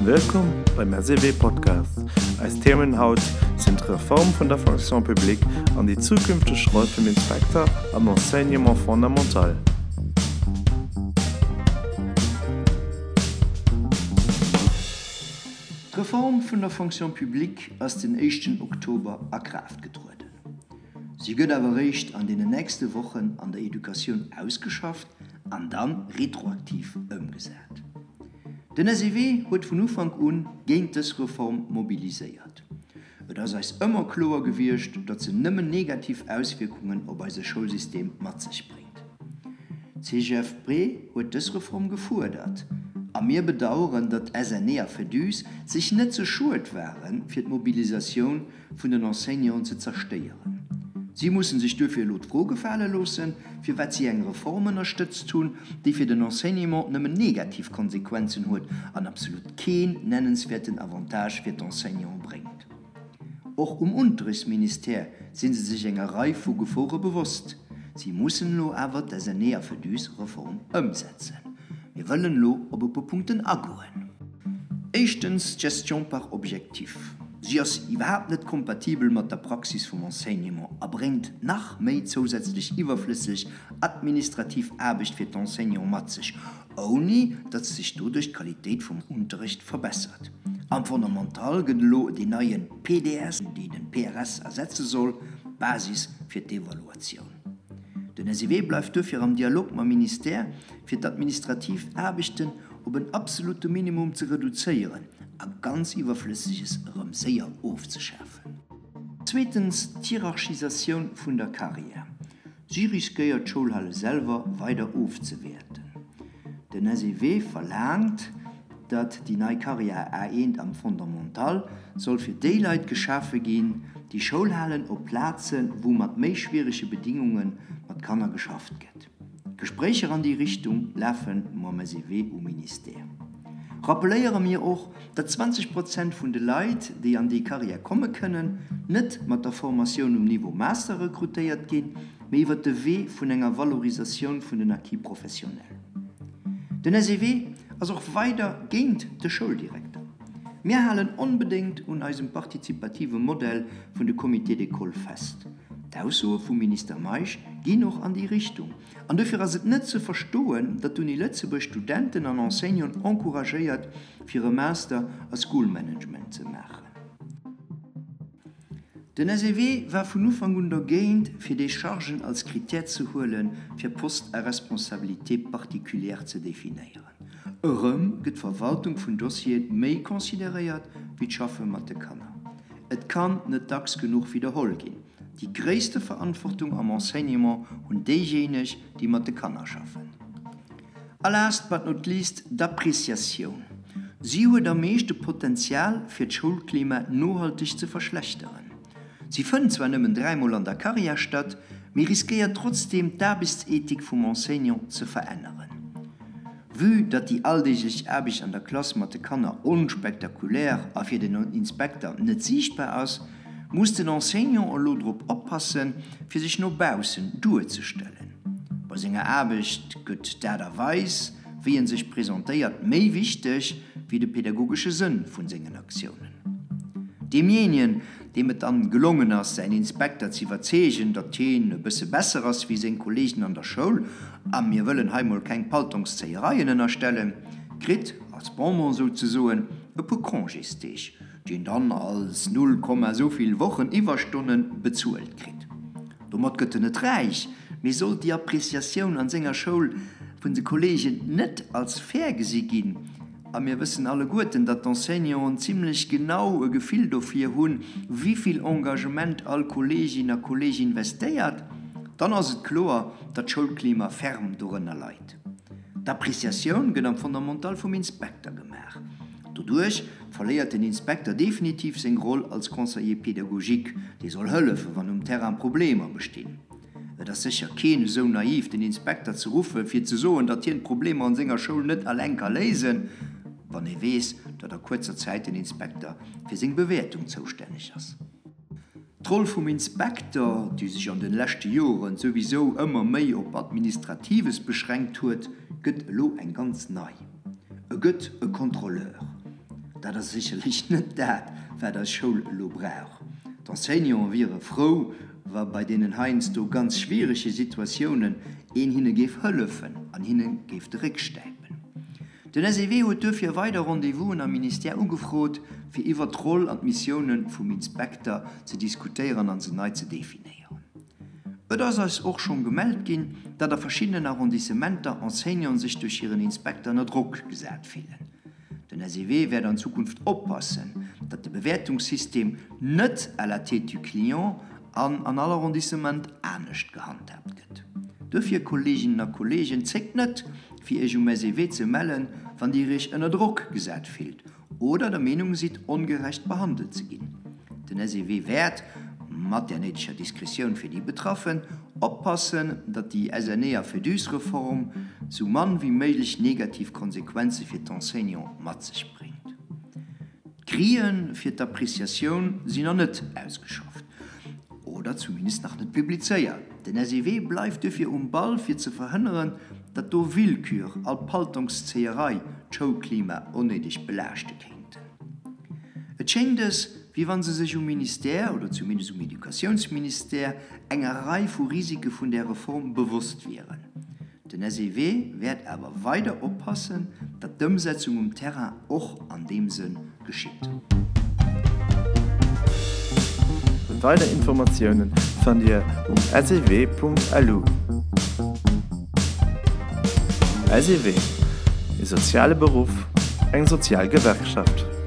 Wëllkomm beim SEW Podcast. Eis Themen haut sinn d'Reform vun der Fonction publique an déi zukünfteg Roll vum Inspekter am Enseignement fondamental. D'Reform vun der Fonction publique ass den éischten Oktober a Kraaft getrueden. Si gëtt awer eréischt an deenen nächste Wochen an der Educatioun ausgeschafft an dann retroaktiv ëmgesat. Den SEW huet vun Ufank un géint dës Reform mobiliséiert. Et ass eis ëmmer kloer gewiescht, datt se nëmmen negativ Auswierkungen op eise Schoulsystem mat sech bréngt. D'CGFP huet dës Reform gefuerdert a mir bedaueren, datt SNE a Féduse sech net ze schued waren, fir d'Mobilisatioun vun den Enseignanten ze zerstéieren. Si mussen sech duerfir elo d'Fro gefale loossen, firwat si eng Reform ënnerstëtzt hunn, déi fir den Enseignement nëmmen negativ Konsequenzen huet an absolut keen nennenswäerten Avantage fir d'Enseignanten bréngt. Och um Unterrichtsministère si se sech enger Rei vu Gefore bewosst. Si mussen elo awer d'SNE a Féduse-Reform ëmsetzen. Mir wëllen elo op e puer Punkten agoen. Éischtens d'Gestion par objectifs. Si ass iwwerhaapt net kompatibel mat der Praxis vum Enseignement a bréngt nach méi zousätzlech iwwerflësseg administrativ Aarbecht fir d'Enseignants mat sech, ouni datt sech doduerch d'Qualitéit vum Unterrecht verbessert. Am Fondamental gëtt elo deen neie PDS, deen den PRS ersetze soll, d'Basis fir d'Evaluatioun. Den SEW bleift duerfir am Dialog mam Ministère, fir d'administrativ Aarbechten op en absolute Minimum ze reduzéieren a ganz Iwwerflësseges erëm séier ofzeschafen. Zweetens d'Hierarchisatioun vun der Carrière. Si riskéiert d'Schoulhale selwer weider ofzewäerten. Den SEW verlaangt, datt déi nei Carrière A1 am Fondamental soll fir déi Leit geschafe ginn, déi Schoulhalen op Plaze wou mat méi schwierege Bedingunge mat Kanner geschafft gëtt. Gespréicher an déi Richtung lafe mam SEW um Ministère. Rappeléiere mir och, datt 20 Prozent vun de Leit, déi an déi Carrière komme kënnen, net mat der Formatioun um Niveau Master rekrutéiert ginn, mee iwwer de Wee vun enger Valorisatioun vun den Acquis professionnels. Den SEW ass och weider géint de Schouldirekter. Mir halen onbedéngt un eisem partizipative Modell vun de Comités d'école fest. D'Aussoe vum Minister Meisch ginn och an déi Richtung. An dofir ass et net ze verstoen, datt d'Uni Lëtzebuerg Studenten an Enseignanten encouragéiert, fir e Master a School Management ze maachen. Den SEW war vun Ufank un dergéint, fir déi Chargen als Critère ze huelen, fir Postes à responsabilité particulière ze definéieren. Erëm gëtt d'Verwaltung vun Dossieren méi consideréiert wéi d'Schaffe mat de Kanner. Et kann net dacks genuch widderholl ginn, Déi gréisste Verantwortung am Enseignement hunn déijéineg, déi mat de Kanner schaffen. A last but not least d'Appreciatioun. Si huet am meeschte Potenzial, fir d'Schoulklima nohalteg ze verschlechteren. Si fënnt zwar nëmmen dräimol an der Karriär statt, mee riskéiert trotzdeem d'Aarbechtsethik vum Enseignant ze veränneren. Vue datt déi alldeeglech Aarbecht an der Klass mat de Kanner onspektakulär a fir den Inspekter net siichtbar ass, muss den Enseignant elo drop oppassen, fir sech no baussen duerzestellen. Bei senger Aarbecht gëtt d'Aart a Weis, wéi en sech presentéiert, méi wichteg wéi de pedagogesche Sënn vun sengen Aktiounen. Deemjéinien, deem et dann gelongen ass, säin Inspekter z'iwwerzeegen, datt hien e bësse besser ass wéi seng Kollegen an der Schoul, a mir wëllen hei mol keng Paltongszéiereien ënnerstellen, kritt, als Bonbon souzesoen, e puer Congésdeeg, déi en dann als null Komma souvill Wochen Iwwerstonne bezuelt kritt. Domat gëtt en net räich, mee sollt déi Appreciatioun an senger Schoul vun de Kollegen net als fair gesi ginn, A mir wëssen alleguerten, datt d'Enseignanten zimlech genau e Gefill dofir hunn, wivill Engagement all Kolleegin a Kolleeg investéiert, dann ass et kloer, datt d'Schoulklima ferm dorënner leit. D'Appreciatioun gëtt am Fondamental vum Inspekter gemaach. Doduerch verléiert den Inspekter definitiv seng Roll als Conseiller pédagogique, dee soll hëllefen, wann um Terrain Problemer bestinn. Et ass sécher keen esou naiv, den Inspekter ze ruffen, fir ze soen, datt hien d'Problemer an senger Schoul net alleng ka léisen, wann ee weess, datt a kuerzer Zäit den Inspekter fir seng Bewäertung zoustänneg ass. D'Roll vum Inspekter, déi sech an den leschte Joren souwisou ëmmer méi op Administratives beschränkt huet, gëtt elo eng ganz nei. E gëtt e Kontrolleur. Dat ass sécherlech net dat, wat eis Schoul elo brauch. D'Enseignanten wiere frou, wa bei deenen heiansdo ganz schwierege Situatiounen een hinne géif hëllefen an hinne géif de Réck stäipen. Den SEW huet duerfir weider Rendez-vousen am Ministère ugefrot, fir iwwert d'Roll an d'Missioune vum Inspekter ze diskutéieren an se nei ze definéieren. Et ass eis och schonn gemellt ginn, datt a verschiddenen Arrondissementer Enseignanten sech duerch hiren Inspekter ënner Drock gesat fillen. Den SEW wäert an Zukunft oppassen, datt de Bewäertungssystem net à la tête du client an an all Arrondissement anescht gehandhaabt gëtt. Duerfir, Kolleeginnen a Kolleegen, zéckt net, fir Iech um SEW ze mellen, wann Dir Iech ënner Drock gesat fillt oder der Meenung sidd, ongerecht behandelt ze ginn. Den SEW wäert, mat där néideger Diskretioun fir déi Betraffen, oppassen, datt déi SNE a Féduse-Reform sou mann wéi méiglech negativ Konsequenze fir d'Enseignants mat sech bréngt. D'Grille fir d'Appreciatioun sinn nach net ausgeschafft oder zumindest nach net publizéiert. Den SEW bleift duerfir um Ball fir ze verhënneren, datt do Willkür a Paltongszéierei d'Schoulklima onnéideg belaaschte kéinten. Et schéngt es, wéi wa se sech um Ministère, oder zumindest um Educatiounsministère, enger Rei vu Risike vun där Reform bewosst wieren. Den SEW wäert awer weider oppassen, datt d'Ëmsetzung um Terrain och an deem Sënn geschitt. Weider Informatiounen fannt Dir um sew.lu. SEW, E soziale Beruff, eng sozial Gewerkschaft.